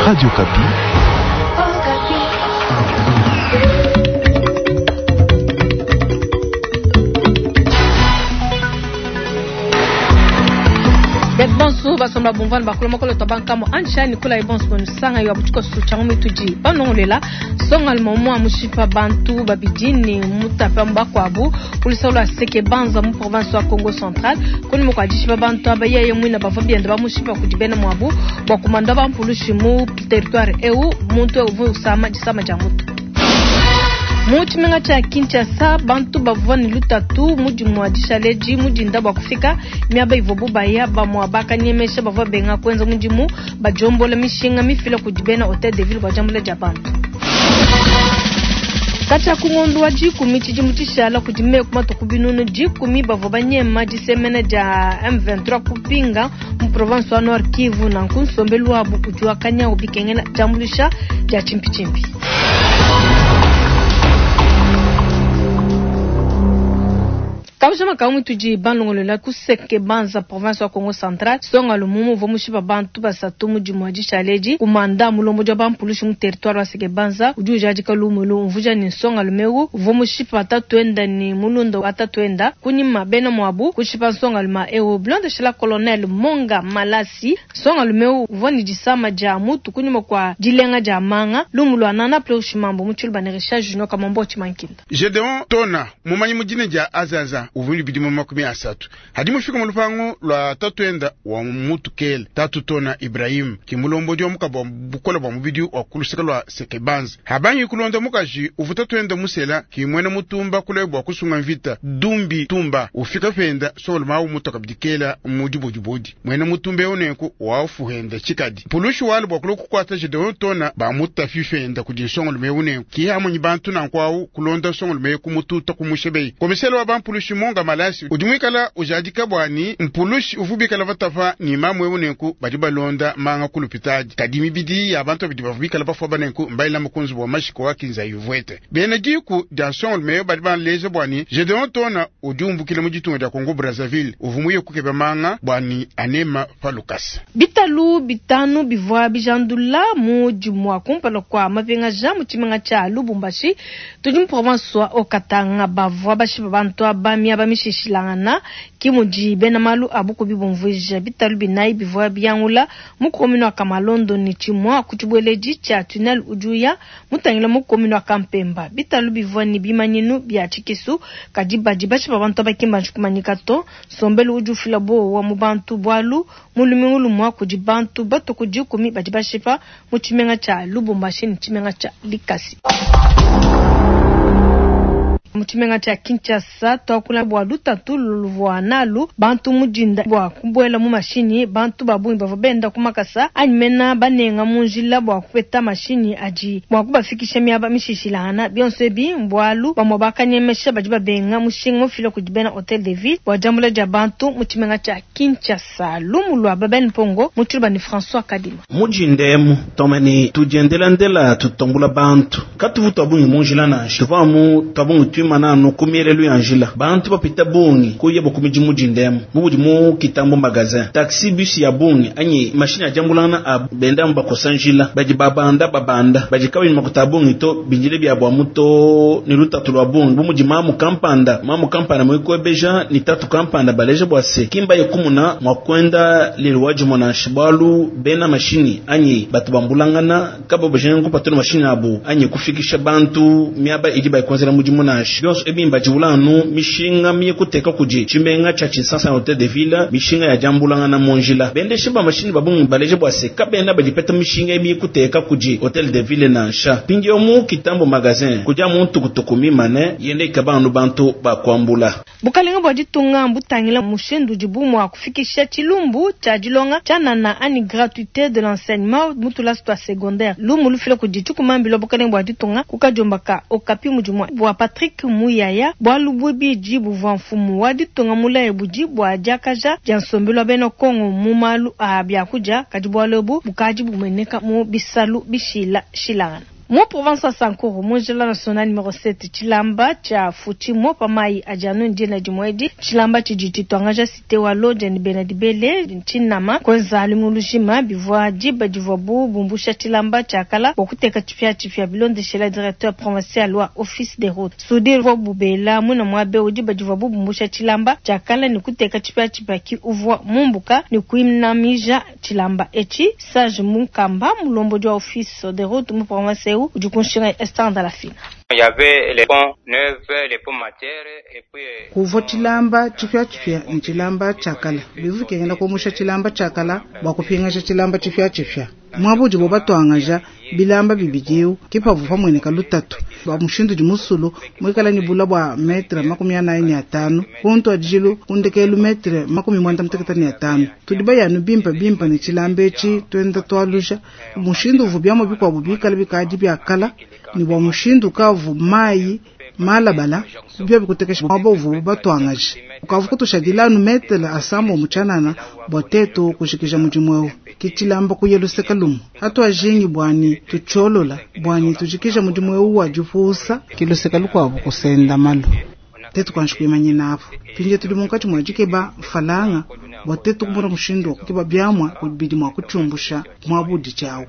Radio Okapi. Bonso basomba bumvana bakula makolo to bankamo ansha nikula ibonso bonusanga yo abuchiko sucha mitudi banongolela songa lmomo mushipa bantu babidi ni mutapa mbakwabu kulisola seke banza mu province wa Congo Central kuni mukwajishipa bantu abaye mwina bava bienda bamushipa kudibena mwabu bwa kumanda bampulushi mu territoire eu muntu uvu usama disama ja mutu. Mu tshimenga tshia Kinshasa bantu bavua ne lutatu mudimu wa dishaleji mudinda bua kufika miaba ivuabu baya bamua bakanyemesha bavua benga kuenza mudimu bajombola mishinga mifila kudi bena hotel de ville bua diambula dia bantu. Katshia ku ngondo wa dikumi tshidimu tshishala kudi meku matuku binunu dikumi bavua banyema disemena dia M23 kupinga mu province wa Nord Kivu nanku nsombelu wabu udi wakanyawu bikengela diambuluisha dia tshimpitshimpi. Kabujama kamu tudi banlongolola kuseke banza province wa Congo Central songa lumumu uvua mushipa bantu basatu mudimu wa dishaleji kumanda mulombo dia bampulushi mu territoire wa seke banza udi ujadika lumulu umvuja ni nsonga lumeu uvua mushipa tatuenda ni mulunda wa tatuenda kunyima bena mwabu kushipa nsonga luma ewu bilondeshela colonel Monga Malasi nsonga lumeu uvua ni disama dia mutu kunyima kwa dilenga dia manga lumu lwa nana pleushimambo mutshilu ne Richard Junior Kamombo Chimankinda. Gedeon Tona mumanyi mudine dia Azaza uvundu bidimu 30 hadi mufika mu lupango lwa tatuenda wa mutukele tatu Tona Ibrahim kimulombo dio mukabwa bukola bwa mubidi wa kulusika lwa sekebanza habanyi kulonda mukaji uvuta tuenda musela kimwena mutumba kule bwa kusunga mvita dumbi tumba ufika penda solo mawu mutoka bidikela mudibodibodi mwena mutumba oneko wafuhenda chikadi pulushi wale bwa kuloku kwata Gedeon Tona ba mutafifenda kudinsongo lumeuneko kihamunyi bantu nankwawu kulonda songo lumeyo kumututa kumushebei komisela wa bampulushi Monga Malasi udimwikala ujadika bwani mpulushi uvubikala vatafa ni mamwe unenku badi balonda manga kulupitaji kadi mibidi ya bantu badi bavubikala bafwa banenku mbaila mukunzi bwa mashiko wakinza yuvwete bena diku dia nsongo lumeyo badi banleja bwani Gedeon Tona udi umbukile mu ditunga dia Congo Brazzaville uvumuye kukeba manga bwani anema palukasa bitalu bitanu bivua bijandula mu dimua kumpala kwa mapengaja mu tshimenga tshia Lubumbashi tudi mu province wa Haut-Katanga bavua bashipa bantu aba miaba mishishilangana kimudi bena malu abu kubibumvuija bitalu binayi bivua biyangula mu commune wa Kamalondo ni tshimua ku tshibweledi tshia tunnel ujuya mutangila mu commune wa Kampemba bitalu bivua ni bimanyinu bia tshikisu kadi badi bashipa bantu abakimba ntshikumanyika to nsombelu udi ufila bowa mu bantu bwalu mu lumingu lumua kudi bantu batuku dikumi badi bashipa mu tshimenga tshia Lubumbashi ni tshimenga tshia Likasi. Mu tshimenga tshia Kinshasa twakula bua lutatu luvua nalu bantu mudinda bua kubuela mu mashinyi bantu babungi bavua benda ku makasa anyi mena banenga mu njila bua kupeta mashinyi adi bua kubafikisha miaba mishishilangana bionso ebi mbwalu bamue bakanyemesha badi babenga mushinga mufila kudi bena hotel de ville bua diambula dia bantu mu tshimenga tshia Kinshasa lumu lua Babel Mpongo mu tshiluba ni François Kadima. Mujindemu tomani tujendelandela tutambula bantu katuvu twabungi mu njila nansha tuvamu twabungi mananu kumielelu ya njila bantu bapita bungi kuya bukumiji mujindemu mubudi mu kitambo magazin taxi bus ya bungi anyi mashine ya jambulana a benda bakosa njila baji babanda babanda baji kabi makuta bungi to binjile bya bwa muto ni lutatu lwa bungi bumuji mamu kampanda mwikwebeja ni tatu kampanda baleje bwa se kimba yekumuna mwakwenda lelwaji mwana shibalu bena mashini anyi batu bambulangana kabo bajengu patuna mashine abu anyi kufikisha bantu miaba idi bayikonzela mujimu na bionso ebimba jiulanu mishinga miye kuteka kuji tshimenga tshia Kinshasa hotel de ville mishinga ya jambulanga na monjila bendeshe ba mashini babungu baleje bwa se kabenda bajipeta mishinga emiye kuteka kuji hotel de ville nansha pingio mu kitambo magazin kuja muntu kutukumi mane yende kabanu bantu bakwambula. Bukalenga bwa ditunga mbutangila mushindu dibu kufikisha tshilumbu tshia dilonga tshianana ani gratuité de l'enseignement mutula tua secondaire lumu lufila kudi tshikumambila bukalenga bwa ditunga kukajombaka okapi mudimu bwa Patrick Muyaya bwalu bwibidi buvua mfumu wa ditunga mulaye budi bwa diakaja dia nsombelu wa bena Kongo mu malu a biakudia kadi bwalu ebu bukadi bumeneka mu bisalu bishila shilangana. Mu province wa Sankuru, mu njila national numero 7, tshilamba tshia Futshimo pa mayi adi anu dina dimue edi. Tshilamba tshidi tshituangaja cite wa Lodja ne Bena Dibele Tshinama kuenza lumingu lujima. Bivua diba divuabu bumbusha tshilamba tshia kala bua kuteka tshipiatshipia, bilondeshela directeur provincial wa office des routes. Soudure uvua bubela muina muaba eu diba divuabu bumbusha tshilamba tshia kala ne kuteka tshipiatshipia ki uvua mumbuka ne kuinamija tshilamba etshi. Sage Munkamba, mulombodi wa office de route mu province eu, udi ku nshinga ya Esther Ndalafina. Kuvua tshilamba tshipiatshipia ne tshilamba tshia kala. Bivua bikengela kumusha tshilamba tshia kala bua kupingaja tshilamba tshipiatshipia. Muaba udibo batuangaja bilamba bibidi eu ke pavua pamueneka lutatu bua mushindu udi musulu muikala ne bula bua metre 45 ku ntuadijilu ku ndekelu metre 95. Tudi bayanu bimpe bimpe ne tshilamba etshi tuenda tualuja mushindu uvua biamua bikuabu bikala bikadi bia kala ne bua mushindu ukavu mayi malabala bia bikutekesha muaba uvuabu batuangaje ukavu kutushadila anu metre asambo tshianana bua tetu kujikija mudimu eu. Ke tshilamba kuya luseke lumue hatuajingi bwani tutshiolola bwani tujikija mudimu eu wa dipuusa ke luseke lukuabu kusenda malu tetu kuanji kuimanyina apo pinje tudi munkatshi mua dikeba falanga bua tetu kumona mushindu wa kukeba biamua bidi mua kutshiumbusha muaba udi tshiawu.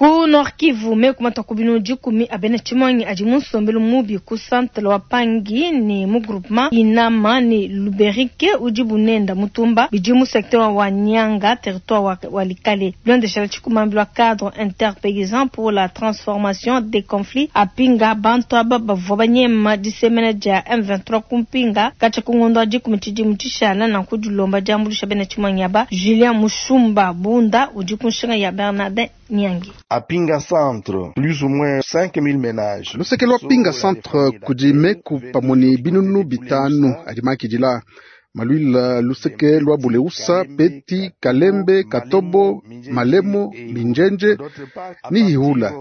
Ku Nord Kivu, meku matua ku binunu 10 a bena tshimuangi adi mu nsombelu mubi ku centre wa Pangi ne mu groupement Inama ne Luberike udi bunenda mutumba bidi mu secteur wa Nyanga, territoire wa Walikale. Bilondeshela tshikumambi lwa cadre interpaysan pour la transformation des conflits apinga bantu aba bavua banyema disemena dia M23 kumpinga katshia ku ngondo wa 10 tshidimu tshishala nanku dilomba diambuluisha bena tshimuangi aba. Julien Mushumba Bunda udi ku nshinga ya Bernardin Nyangi. À Pinga Centre, plus ou moins 5000 ménages. Luseke lwa Pinga Centre kudi meku pamue ne binunu bitanu adi makidila. Maluila luseke lwa Buleusa, Peti, Kalembe, Katobo, Malemo, Minjenje ni Ihula.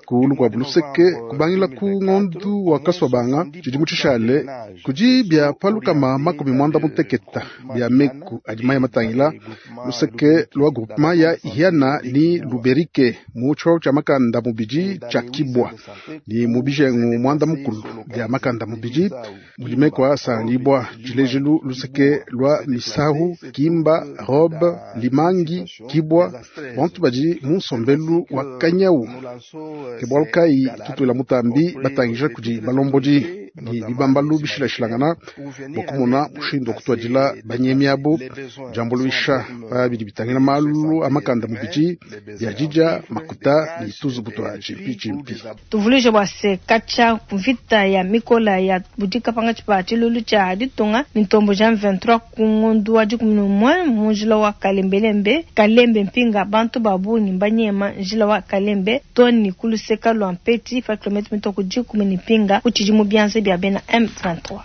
Ku lukwabu luseke kubangila ku ngondu wa Kaswabanga tshidimu tshishale kudi bia palukama 90 bia meku adi maya matangila luseke lwa groupement ya Ihiana ni Luberike mu tshio tshia makanda mubidi tshia Kibwa ni mubijengu mwanda mukulu bia makanda mubidi mulimekwa sangibwa tshilejelu luseke lwa Misahu, Kimba, Robe, Limangi, Kibwa bantu badi mu nsombelu wa Kanyau. Ke bualu kayi tutuela mutambi batangija kudi balombodi ni bibambalu bishilashilangana bua kumona mushindu wa kutuadila banyemi abo diambuluisha pa bidi bitangila malu a makanda mubidi bia dija makuta ni tuzubu tua tshimpi. Tuvuluije bua se katshia mvita ya mikola ya budika pangatshi pa tshilulu tshia ditunga ni ntombo ja M23 ku ngondu wa 11 mu njila wa Kalembelembe Kalembe Mpinga bantu ba bungi mbanyema njila wa Kalembe toni kuluseka lwa Mpeti pa kilomita mitoko 10 ni Mpinga kuchidi mu bianze bia bena M23.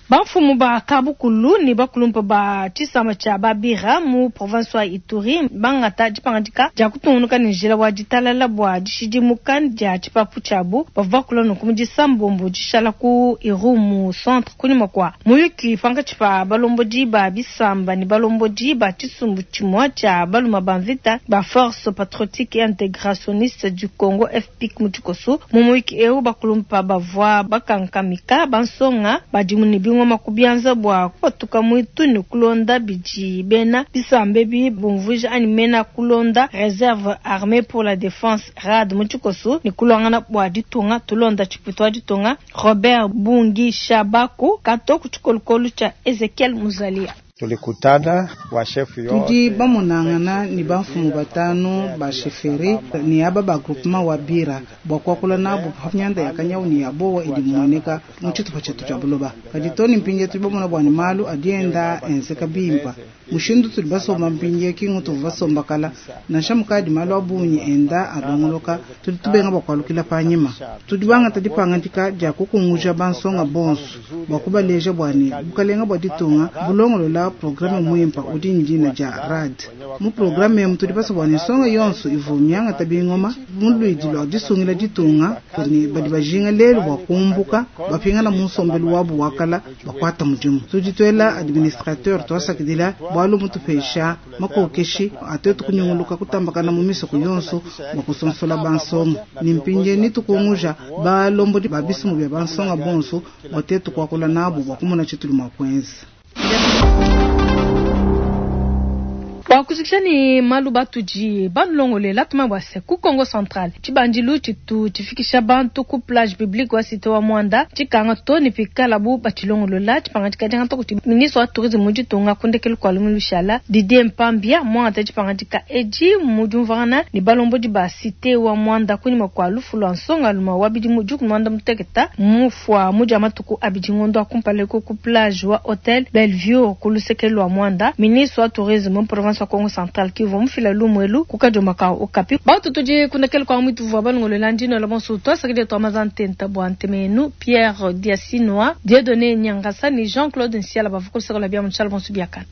Bamfumu ba Kabukulu ni bakulumpa ba tshisamba tshia Babira mu province wa Ituri bangata dipangadika dia kutungunuka ne njila wa ditalala bua dishidimuka dia tshipapu tshiabu bavua bakula nunku mu disambombo dishala ku Irumu centre kunyima kua muyuki pankatshi pa balombodi ba bisamba ne balombodi ba tshisumbu tshimue tshia baluma ba mvita ba Force Patriotique et Intégrationniste du Congo FPIC mu tshikoso. Mu muyuki eu bakulumpa bavua bakankamika bansonga badimu ne bingoma kubianza bua kupatuka mwitu ne kulonda bidi bena bisambe bi bumvuija anyi mena kulonda Reserve Armée pour la Défense RAD mu tshikoso ne kulongana bua ditunga tulonda tshiputu wa ditunga Robert Bungi Shabako kato ku tshikolokolo tshia Ezekiel Muzalia. Tulikutana wa chef yote tudi bamonangana ni bamfumu batanu ba chefferie ni aba ba groupement wa Bira bua kuakula nabo pa myanda ya Kanyau ni ya Bowa idi muoneka mu tshitupa tshetu tshia buloba. Kadi toni mpinje tudi bamona bua ni malu adienda enzeka bimpa mushindu tudi basomba mpinje kingu tuvu basomba kala nansha mukadi malu abunyi enda alongoloka tudi tubenga bua kualukila panyima. Tudi bangata dipangadika dia kukunguja bansonga bonso bua kubaleja bua ni bukalenga bua ditunga bulongolola programme muimpa udi ndina dia RAD. Mu programme emu tudi basomba ni nsonga yonso ivu miangata bingoma mu luidi lua disungila ditunga ni badi bajinga lelu bua kumbuka bapingana mu nsombelu wabu wakala bakuata mudimu. Tudi tuela administrateur tuasakidila Bualu mutupesha makokeshi a tuetu kunyunguluka kutambakana mu misoko yonso bua kusonsola bansonga. Ne mpindie nitukunguja balombodi ba bisumbu bia bansonga bonso bua tuetu kuakula nabu bua kumona tshitudi mua kuenza. Bua kujikija ne malu batudi banulongolela tumanye bua se ku Kongo Central tshibandilu tshitu tshifikisha bantu ku plage publique wa cite wa Muanda tshikanga to ne pikalabu batshilongolola. Tshipangadika diangata kudi ministre wa tourisme mu ditunga ku ndekelu kua lumingu lushala Didier Mpambia muangata dipangadika edi mu diumvuangana ne balombodi ba cite wa Muanda kunyima kua lufu lua nsongaluma wa bidimu 16 mufua mu dia matuku abidi ngondo wa kumpala eku ku plage wa hotel Bellevue ku luseke lua Muanda. Ministre wa tourisme mu province wa Kongo Central ki uvua mufila lumu elu ku kadiomba ka Okapi. Bantu tudi ku ndekelu kua muitu uvua balongolola ndino la bonso tuasakidila tua maza ntenta bua ntema yenu Pierre Diasinua, Dieudonné Nyangasa ne Jean-Claude Nsiala bavua ku luseke lua bia mu tshiala bonso biakana.